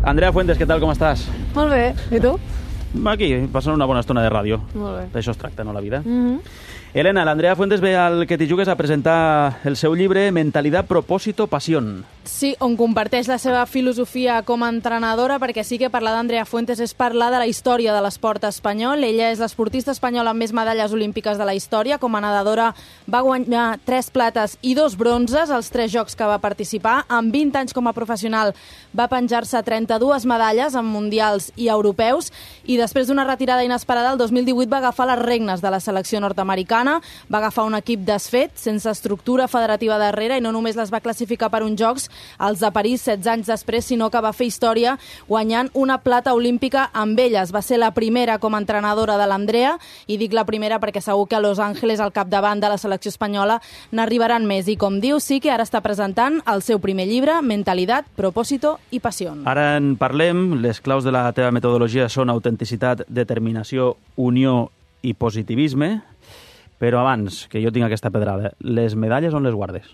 Andrea Fuentes, què tal, com estàs? Molt bé, i tu? Aquí, passant una bona estona de ràdio. Molt bé. D'això es tracta, no, la vida? Elena, l'Andrea Fuentes ve al Que t'hi jugues a presentar el seu llibre Mentalidad, Propósito, Pasión. Sí, on comparteix la seva filosofia com a entrenadora, perquè sí que parlar d'Andrea Fuentes és parlar de la història de l'esport espanyol. Ella és l'esportista espanyola amb més medalles olímpiques de la història. Com a nedadora va guanyar 3 plates i 2 bronzes als 3 jocs que va participar. Amb 20 anys com a professional va penjar-se 32 medalles en mundials i europeus, i després d'una retirada inesperada, el 2018 va agafar les regnes de la selecció nord-americana, va agafar un equip desfet, sense estructura federativa darrere, i no només les va classificar per uns jocs, els de París, 16 anys després, sinó que va fer història guanyant una plata olímpica amb elles. Va ser la primera com a entrenadora de l'Andrea, i dic la primera perquè segur que a Los Angeles, al capdavant de la selecció espanyola, n'arribaran més. I com diu, sí que ara està presentant el seu primer llibre, Mentalidad, Propósito i Pasión. Ara en parlem. Les claus de la teva metodologia són autenticitat, determinació, unió i positivisme. Però abans, que jo tinc aquesta pedrada, les medalles on les guardes?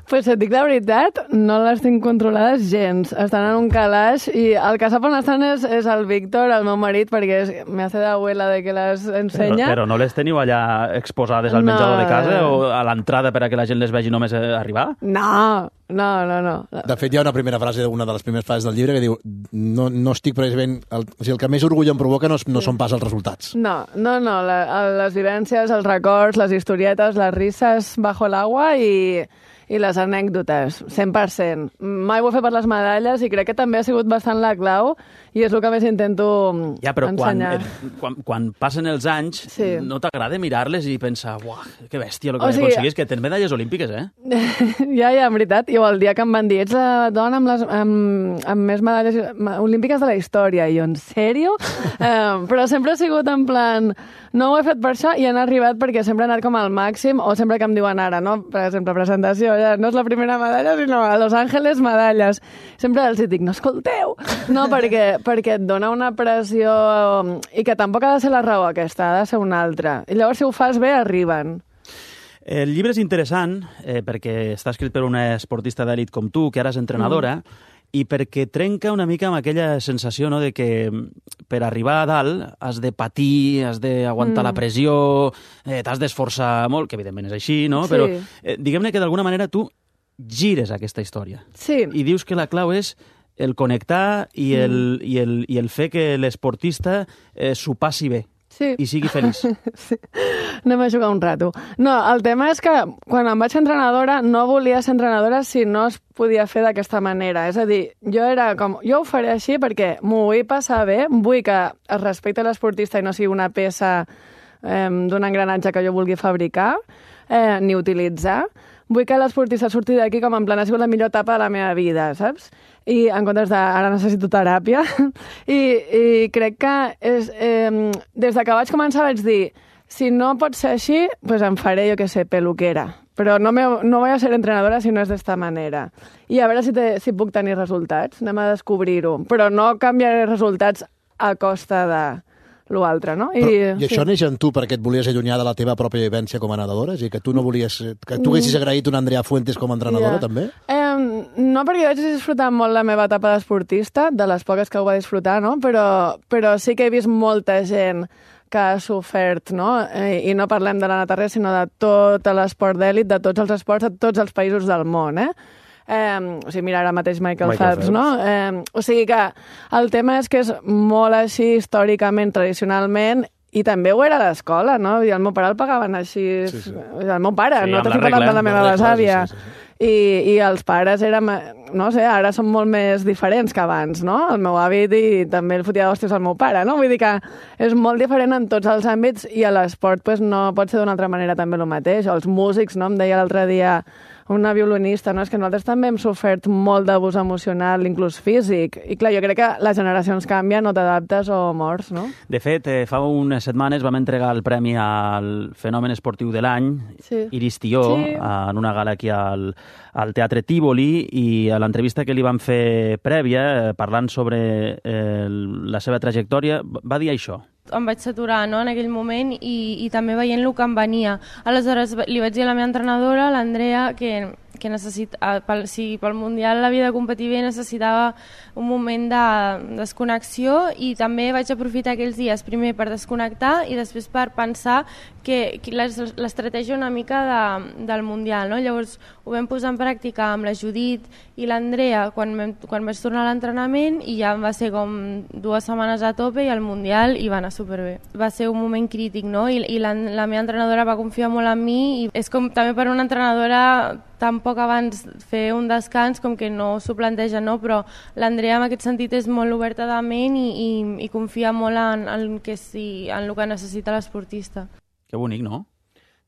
Pues et dic la veritat, no les tinc controlades gens. Estan en un calaix i el que sap on estan és el Víctor, el meu marit, perquè me hace de abuela de que les ensenya. Però no les teniu allà exposades al menjador de casa o a l'entrada per a que la gent les vegi només arribar? No. De fet, hi ha una primera frase d'una de les primeres frases del llibre que diu no estic precisament... el que més orgull em provoca no són pas els resultats. No. Les vivències, els records, les historietes, les risses bajo l'agua i les anècdotes, 100%. Mai ho he fet per les medalles i crec que també ha sigut bastant la clau i és el que més intento ensenyar. Quan passen els anys, sí, no t'agrada mirar-les i pensar, uah, que bèstia el que aconseguís, que tens medalles olímpiques, eh? Ja, en veritat. I el dia que em van dir, ets la dona amb més medalles olímpiques de la història. I jo, en sèrio? Però sempre he sigut en plan... No ho he fet per això i han arribat perquè sempre he anat com al màxim, o sempre que em diuen ara, no? Per exemple, presentació, ja no és la primera medalla, sinó a Los Angeles medalles. Sempre els dic, no escolteu! No, perquè et dona una pressió i que tampoc ha de ser la raó aquesta, ha de ser una altra. I llavors, si ho fas bé, arriben. El llibre és interessant perquè està escrit per una esportista d'elit com tu, que ara és entrenadora, i perquè trenca una mica amb aquella sensació, no?, de que per arribar a dalt has de patir, has d'aguantar la pressió, t'has d'esforçar molt, que evidentment és així, no? Sí. Però diguem-ne que d'alguna manera tu gires aquesta història. Sí. I dius que la clau és el connectar i el fer que l'esportista s'ho passi bé. Sí. I sigui feliç. Sí. Anem a jugar un rato. No, el tema és que quan em vaig ser entrenadora no volia ser entrenadora si no es podia fer d'aquesta manera. És a dir, jo ho faré així perquè m'ho vull passar bé, vull que es respecti l'esportista i no sigui una peça d'un engranatge que jo vulgui fabricar ni utilitzar. Vull que l'esportista surti d'aquí com en plan ha sigut la millor etapa de la meva vida, saps? I en comptes de ara necessito teràpia. I crec que des de que vaig començar vaig dir si no pot ser així, pues em faré, jo què sé, peluquera. Però no voy a ser entrenadora si no és d'esta manera. I a veure si puc tenir resultats. Anem a descobrir-ho. Però no canviaré resultats a costa de l'altre, no? I això neix en tu perquè et volies allunyar de la teva pròpia vivència com a nedadora? És a dir, que tu no volies... Que tu haguessis agraït una Andrea Fuentes com a entrenadora, també? No, perquè vaig disfrutar molt la meva etapa d'esportista, de les poques que ho va disfrutar, no? Però sí que he vist molta gent que ha sofert, no? I no parlem de la natarra, sinó de tot l'esport d'èlit, de tots els esports, de tots els països del món, o sigui, mira ara mateix Michael Phelps, no? O sigui que el tema és que és molt així històricament, tradicionalment, i també ho era a l'escola, no? I el meu pare el pagaven així... Sí. El meu pare, sí, no t'estic parlant de la meva besàvia. Sí. I els pares érem, no sé, ara són molt més diferents que abans, no? El meu avi i també el fotia d'hòsties al meu pare, no? Vull dir que és molt diferent en tots els àmbits i a l'esport pues, no pot ser d'una altra manera també el mateix. O els músics, no? Em deia l'altre dia una violinista, no? És que nosaltres també hem sofert molt d'abús emocional, inclús físic. I clar, jo crec que les generacions canvien, o t'adaptes o mors, no? De fet, fa unes setmanes vam entregar el premi al fenomen esportiu de l'any, sí. Iris Tió, sí. En una gala aquí al Teatre Tívoli, i a l'entrevista que li van fer prèvia, parlant sobre la seva trajectòria, va dir això. Em vaig saturar, no?, en aquell moment i també veient el que em venia. Aleshores li vaig dir a la meva entrenadora, l'Andrea, que si pel Mundial havia de competir bé necessitava un moment de desconnexió, i també vaig aprofitar aquells dies primer per desconnectar i després per pensar que l'estratègia una mica del Mundial, no? Llavors ho vam posar en pràctica amb la Judit i l'Andrea quan vaig tornar a l'entrenament, i ja va ser com 2 setmanes a tope, i al Mundial hi va anar superbé. Va ser un moment crític, no? I la meva entrenadora va confiar molt en mi, i és com també per una entrenadora tan poc abans fer un descans com que no s'ho planteja, no? Però l'Andrea en aquest sentit és molt oberta de ment i confia molt en el que necessita l'esportista. Que bonic, no?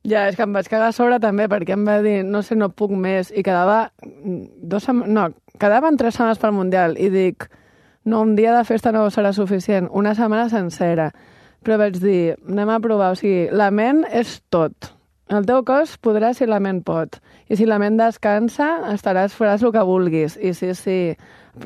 Ja, és que em vaig cagar a sobre també, perquè em va dir, no sé, no puc més, i quedaven 3 setmanes pel Mundial, i dic, no, un dia de festa no serà suficient, una setmana sencera. Però vaig dir, anem a provar, o sigui, la ment és tot. El teu cos podrà si la ment pot. I si la ment descansa, faràs el que vulguis. I sí,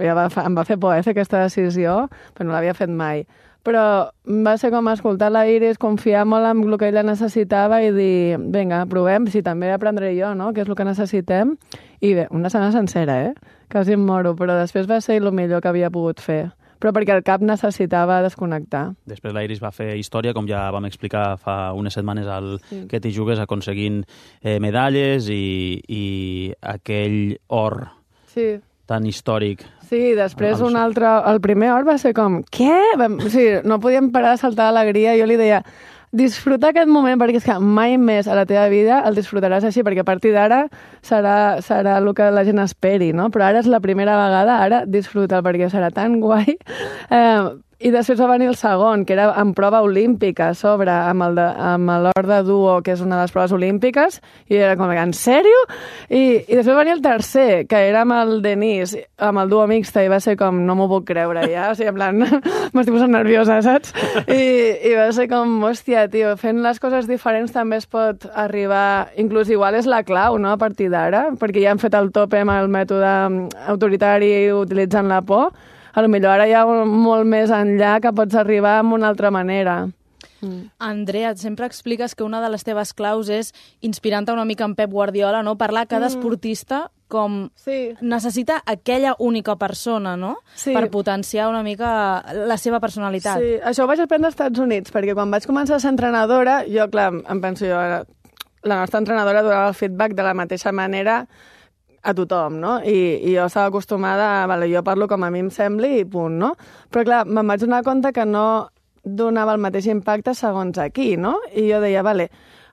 em va fer por fer aquesta decisió, però no l'havia fet mai. Però va ser com escoltar la Iris, confiar molt en el que ella necessitava i dir, vinga, provem, si també aprendré jo, no?, què és el que necessitem. I bé, una setmana sencera, quasi em moro, però després va ser el millor que havia pogut fer. Però perquè el cap necessitava desconnectar. Després la Iris va fer història, com ja vam explicar fa unes setmanes Que t'hi jugues, aconseguint medalles i aquell or tan històric. Sí, després un altre... El primer or va ser com, què? No podíem parar de saltar d'alegria. Jo li deia, disfrutar aquest moment, perquè és que mai més a la teva vida el disfrutaràs així, perquè a partir d'ara serà el que la gent esperi, no? Però ara és la primera vegada, ara disfruta'l, perquè serà tan guai. I després va venir el segon, que era en prova olímpica, a sobre, amb l'or de duo, que és una de les proves olímpiques, i era com, en sèrio? I després va venir el tercer, que era amb el Denis, amb el duo mixta, i va ser com, no m'ho puc creure ja, o sigui, en plan, m'estic posant nerviosa, saps? I va ser com, hòstia, tio, fent les coses diferents també es pot arribar, inclús igual és la clau, no?, a partir d'ara, perquè ja han fet el tope amb el mètode autoritari utilitzant la por. A lo millor ara hi ha molt més enllà que pots arribar amb una altra manera. Andrea, sempre expliques que una de les teves claus és, inspirant-te una mica en Pep Guardiola, no? Parlar cada esportista com necessita aquella única persona, no? Sí. Per potenciar una mica la seva personalitat. Sí, això ho vaig aprendre als Estats Units, perquè quan vaig començar a ser entrenadora, jo, clar, em penso jo, la nostra entrenadora donava el feedback de la mateixa manera a tothom, no? I jo estava acostumada jo parlo com a mi em sembli i punt, no? Però clar, me'n vaig donar compte que no donava el mateix impacte segons aquí, no? I jo deia,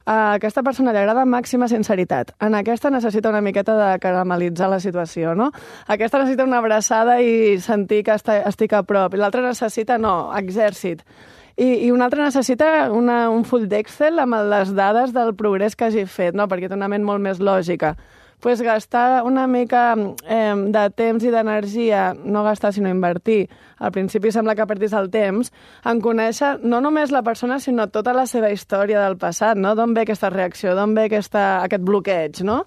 a aquesta persona li agrada màxima sinceritat, en aquesta necessita una miqueta de caramelitzar la situació, no? Aquesta necessita una abraçada i sentir que estic a prop, i l'altra necessita, exèrcit. I una altra necessita un full d'Excel amb les dades del progrés que hagi fet, no? Perquè té una ment molt més lògica. Pues gastar una mica de temps i d'energia, no gastar sinó invertir, al principi sembla que perdis el temps, en conèixer no només la persona sinó tota la seva història del passat, no? D'on ve aquesta reacció, d'on ve aquest bloqueig, no?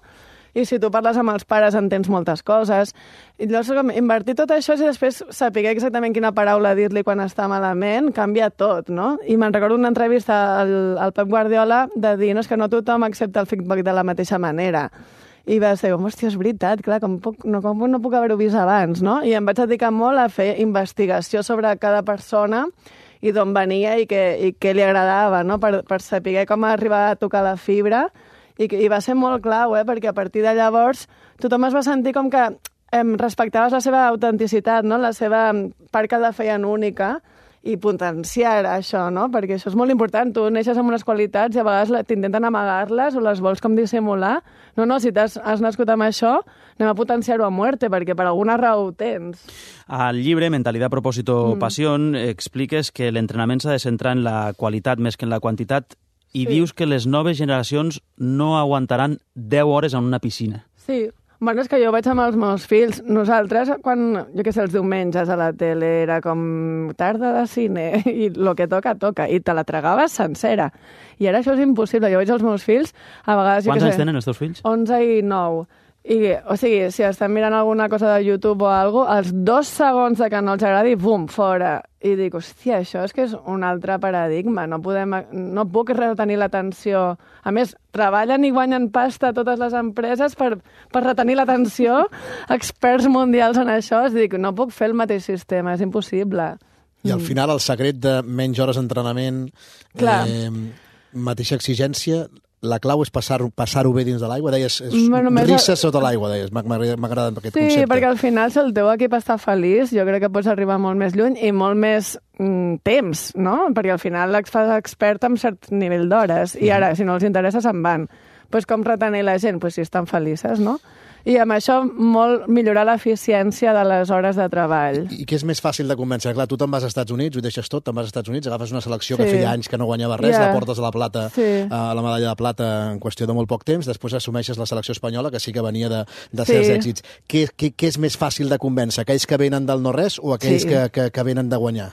I si tu parles amb els pares entens moltes coses. I llavors invertir tot això i després saber exactament quina paraula dir-li quan està malament canvia tot, no? I me'n recordo una entrevista al Pep Guardiola de dir, no, és que no tothom accepta el feedback de la mateixa manera. I va ser, hòstia, és veritat, clar, com no puc haver-ho vist abans, no? I em vaig dedicar molt a fer investigació sobre cada persona i d'on venia i què li agradava, no? Per saber com arribar a tocar la fibra. I va ser molt clau, perquè a partir de llavors tothom es va sentir com que respectaves la seva autenticitat, no? La seva part que la feien única, i potenciar això, no? Perquè això és molt important. Tu neixes amb unes qualitats i a vegades t'intenten amagar-les o les vols com dissimular. No, si has nascut amb això, anem a potenciar-ho a muerte, perquè per alguna raó ho tens. Al llibre Mentalidad, Propósito, Pasión expliques que l'entrenament s'ha de centrar en la qualitat més que en la quantitat i dius que les noves generacions no aguantaran 10 hores en una piscina. Sí. Bueno, és que jo vaig amb els meus fills. Nosaltres, quan, jo què sé, els diumenges a la tele era com tarda de cine i el que toca, toca. I te la tragaves sencera. I ara això és impossible. Jo veig els meus fills, a vegades... Quants anys tenen els teus fills? 11 i 9. O sigui, si estem mirant alguna cosa de YouTube o alguna cosa, els 2 segons de que no els agradi, bum, fora. I dic, hòstia, això és que és un altre paradigma. No puc retenir l'atenció. A més, treballen i guanyen pasta totes les empreses per retenir l'atenció, experts mundials en això. Dic, no puc fer el mateix sistema, és impossible. I al final el secret de menys hores d'entrenament, mateixa exigència, la clau és passar-ho bé dins de l'aigua. Deies, risses sota l'aigua, deies. M'ha agradat aquest concepte. Sí, perquè al final, si el teu equip està feliç, jo crec que pots arribar molt més lluny i molt més temps, no? Perquè al final et fas expert en cert nivell d'hores. I ara, si no els interessa, se'n van. Pues com retenir la gent? Pues si estan felices, no? I amb això molt millorar l'eficiència de les hores de treball. I què és més fàcil de convèncer? Clar, tu te'n vas als Estats Units, ho deixes tot, te'n vas als Estats Units, agafes una selecció que feia anys que no guanyava res, la portes a la plata, a la medalla de plata en qüestió de molt poc temps, després assumeixes la selecció espanyola, que sí que venia de certs èxits. Què és més fàcil de convèncer? Aquells que venen del no-res o aquells que venen de guanyar?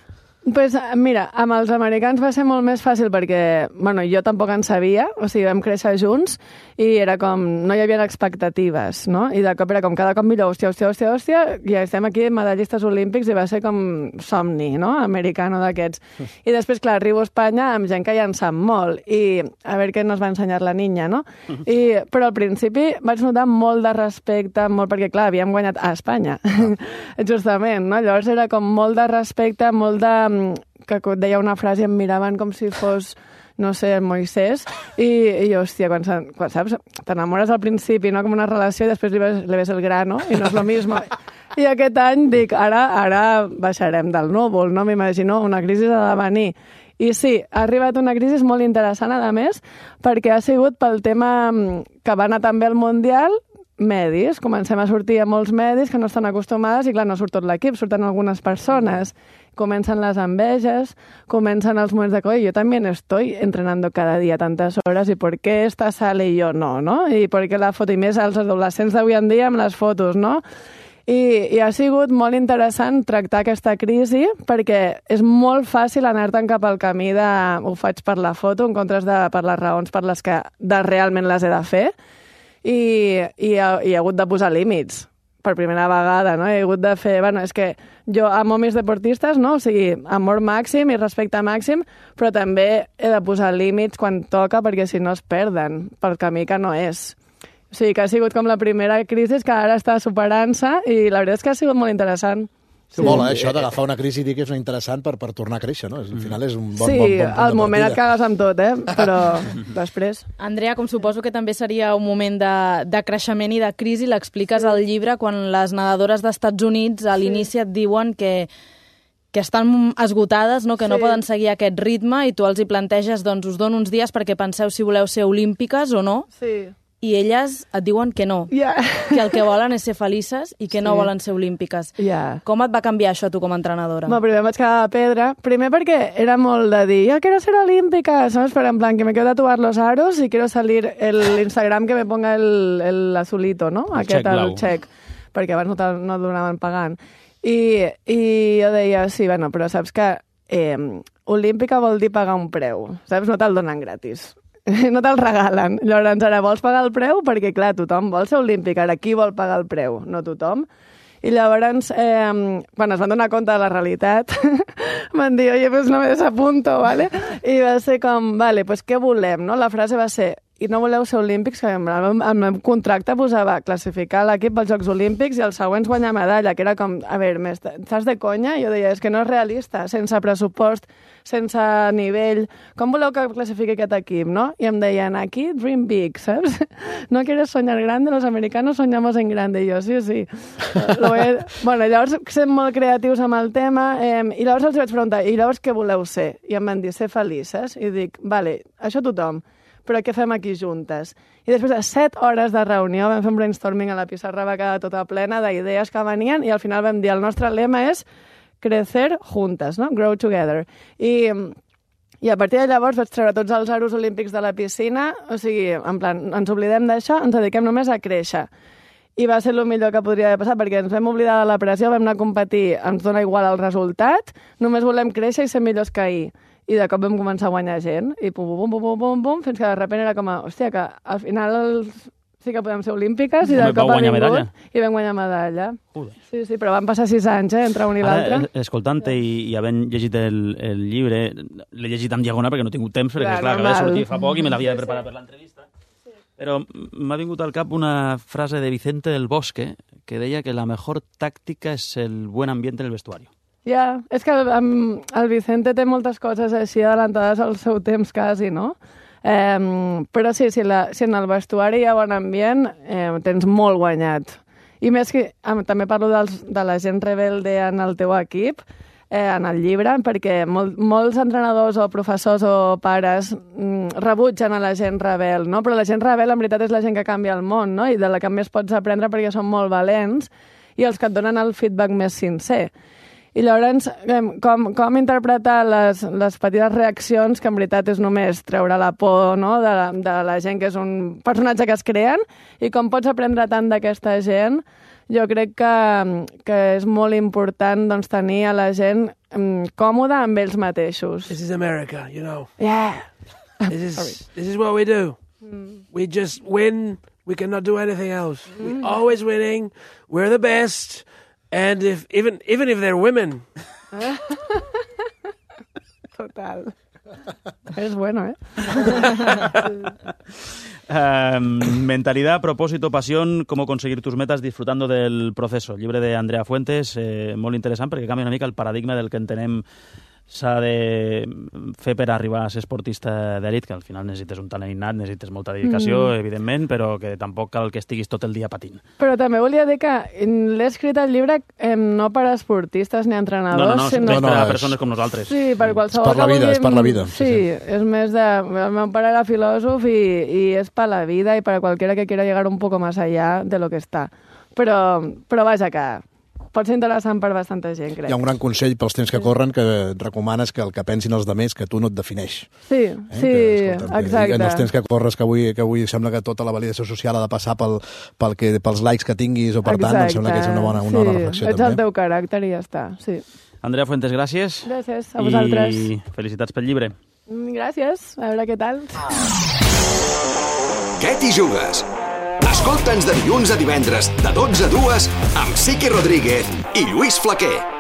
Pues mira, amb els americans va ser molt més fàcil perquè, bueno, jo tampoc en sabia, o sigui, vam créixer junts i era com, no hi havia expectatives, no? I de cop era com cada cop millor, hòstia, i estem aquí medallistes olímpics i va ser com somni, no? Americano d'aquests. I després, clar, arribo a Espanya amb gent que ja en sap molt i a veure què nos va ensenyar la niña, no? Però al principi vaig notar molt de respecte, perquè, clar, havíem guanyat a Espanya, justament, no? Llavors era com molt de respecte, molt de que deia una frase i em miraven com si fos, no sé, Moisès, i hòstia, quan saps, t'enamores al principi, no?, com una relació, i després li ves el grano, i no és lo mismo. I aquest any dic, ara baixarem del núvol, no? M'imagino una crisi ha de venir. I sí, ha arribat una crisi molt interessant, a més, perquè ha sigut pel tema que va anar també al Mundial, medis, comencem a sortir a molts medis que no estan acostumades i clar, no surt tot l'equip, surten algunes persones, comencen les enveges, comencen els moments de coi, yo también estoy entrenando cada día tantas horas y por qué esta sale y yo no, no? I per què la foto, i més als adolescents d'avui en dia amb les fotos, no? I ha sigut molt interessant tractar aquesta crisi perquè és molt fàcil anar-te'n cap al camí de ho faig per la foto en comptes de per les raons per les que realment les he de fer. I he hagut de posar límits per primera vegada, no? He hagut de fer... Bueno, és que jo amo mis deportistes, no? O sigui, amor màxim i respecte màxim, però també he de posar límits quan toca perquè si no es perden pel camí que no és. O sigui, que ha sigut com la primera crisi que ara està superant-se i la veritat és que ha sigut molt interessant. Sí. Mola, això d'agafar una crisi i dir que és interessant per tornar a créixer, no? Al final és un bon al moment et cagues amb tot, però després... Andrea, com suposo que també seria un moment de creixement i de crisi, l'expliques al llibre quan les nedadores d'Estats Units a l'inici et diuen que estan esgotades, no? Que no poden seguir aquest ritme i tu els hi planteges, doncs us dono uns dies perquè penseu si voleu ser olímpiques o no. Sí. I elles et diuen que no, que el que volen és ser felices i que no volen ser olímpiques. Com et va canviar això tu com a entrenadora? Primer em vaig quedar de pedra, primer perquè era molt de dir, yo quiero ser olímpica, ¿sabes? Pero en plan, que me quiero tatuar los aros y quiero salir el Instagram que me ponga el azulito, no? El check, perquè abans no el donaven pagant. I jo deia, sí, bueno, però saps que olímpica vol dir pagar un preu, saps? No te'l donen gratis. No te'l regalen. Llavors, ara vols pagar el preu? Perquè, clar, tothom vol ser olímpic. Ara, qui vol pagar el preu? No tothom. I llavors, quan es van donar compte de la realitat, van dir, oye, pues no me desapunto, ¿vale? I va ser com, vale, pues què volem, no? La frase va ser, i no voleu ser olímpics, que en el meu contracte posava classificar l'equip als Jocs Olímpics i els següents guanyar medalla, que era com, a veure, estàs de conya? I jo deia, és que no és realista, sense pressupost, sense nivell, com voleu que classifiqui aquest equip, no? I em deien, aquí, dream big, saps? No quieres soñar grande, los americanos soñamos en grande. I jo, sí. Bueno, llavors, sent molt creatius amb el tema, i llavors els vaig preguntar, i llavors què voleu ser? I em van dir, ser felices. I dic, vale, això tothom, però què fem aquí juntes? I després de 7 hores de reunió vam fer un brainstorming a la pissarra, va quedar tota plena d'idees que venien, i al final vam dir, el nostre lema és crecer juntes, no? Grow together. I a partir de llavors vaig treure tots els aros olímpics de la piscina, o sigui, en plan, ens oblidem d'això, ens dediquem només a créixer. I va ser el millor que podria haver passat, perquè ens vam oblidar de la pressió, vam anar a competir, ens dona igual el resultat, només volem créixer i ser millors que ahir. I de cop vam començar a guanyar gent, i pum, fins que de sobte era com, hòstia, que al final sí que podem ser olímpiques, i de cop ha vingut i vam guanyar medalla. Sí, però van passar 6 anys, entre un i l'altre. Escoltant-te i havent llegit el llibre, l'he llegit en diagonal perquè no he tingut temps, perquè clar, acaba de sortir fa poc i me l'havia de preparar per l'entrevista. Però m'ha vingut al cap una frase de Vicente del Bosque que deia que la mejor táctica es el buen ambiente en el vestuario. Ja, és que el Vicente té moltes coses així adelantades al seu temps quasi, no? Però sí, si en el vestuari hi ha bon ambient, tens molt guanyat. I més que també parlo de la gent rebelde en el teu equip, en el llibre, perquè molts entrenadors o professors o pares rebutgen a la gent rebel, no? Però la gent rebel en veritat és la gent que canvia el món, no? I de la que més pots aprendre perquè són molt valents i els que et donen el feedback més sincer. I llavors, com interpretar les petites reaccions, que en veritat és només treure la por, no? de la gent que és un personatge que es creen, i com pots aprendre tant d'aquesta gent. Jo crec que és molt important doncs, tenir a la gent còmoda amb ells mateixos. This is America, you know. Yeah. This is what we do. We just win. We cannot do anything else. We're always winning. We're the best. And even if they're women. Total. Es bueno, Mentalidad, propósito, pasión, cómo conseguir tus metas disfrutando del proceso. Llibre de Andrea Fuentes, molt interessant perquè canvia una mica el paradigma del que entenem s'ha de fer per arribar a ser esportista d'elit, que al final necessites un talent innat, necessites molta dedicació, evidentment, però que tampoc cal que estiguis tot el dia patint. Però també volia dir que l'he escrit el llibre no per a esportistes ni entrenadors, sinó per a persones com nosaltres. Sí, per qualsevol que vulgui... És per la vida. Sí, és més de... El meu pare era filòsof i és per la vida i per a qualquiera que quiera llegar un poco más allá de lo que està. Però vaja que... pot ser interessant per bastanta gent, crec. Hi ha un gran consell pels temps que corren que et recomanes que el que pensin els demés que tu no et defineix. Sí, exacte. En els temps que corres, que avui sembla que tota la validació social ha de passar pels likes que tinguis o per tant, em sembla que és una bona reflexió. Ets el teu caràcter i ja està, sí. Andrea Fuentes, gràcies. Gràcies a vosaltres. I felicitats pel llibre. Gràcies, a veure què tal. Què t'hi jugues? Escolta'ns de dilluns a divendres, de 12 a 2, amb Siqui Rodríguez i Lluís Flaquer.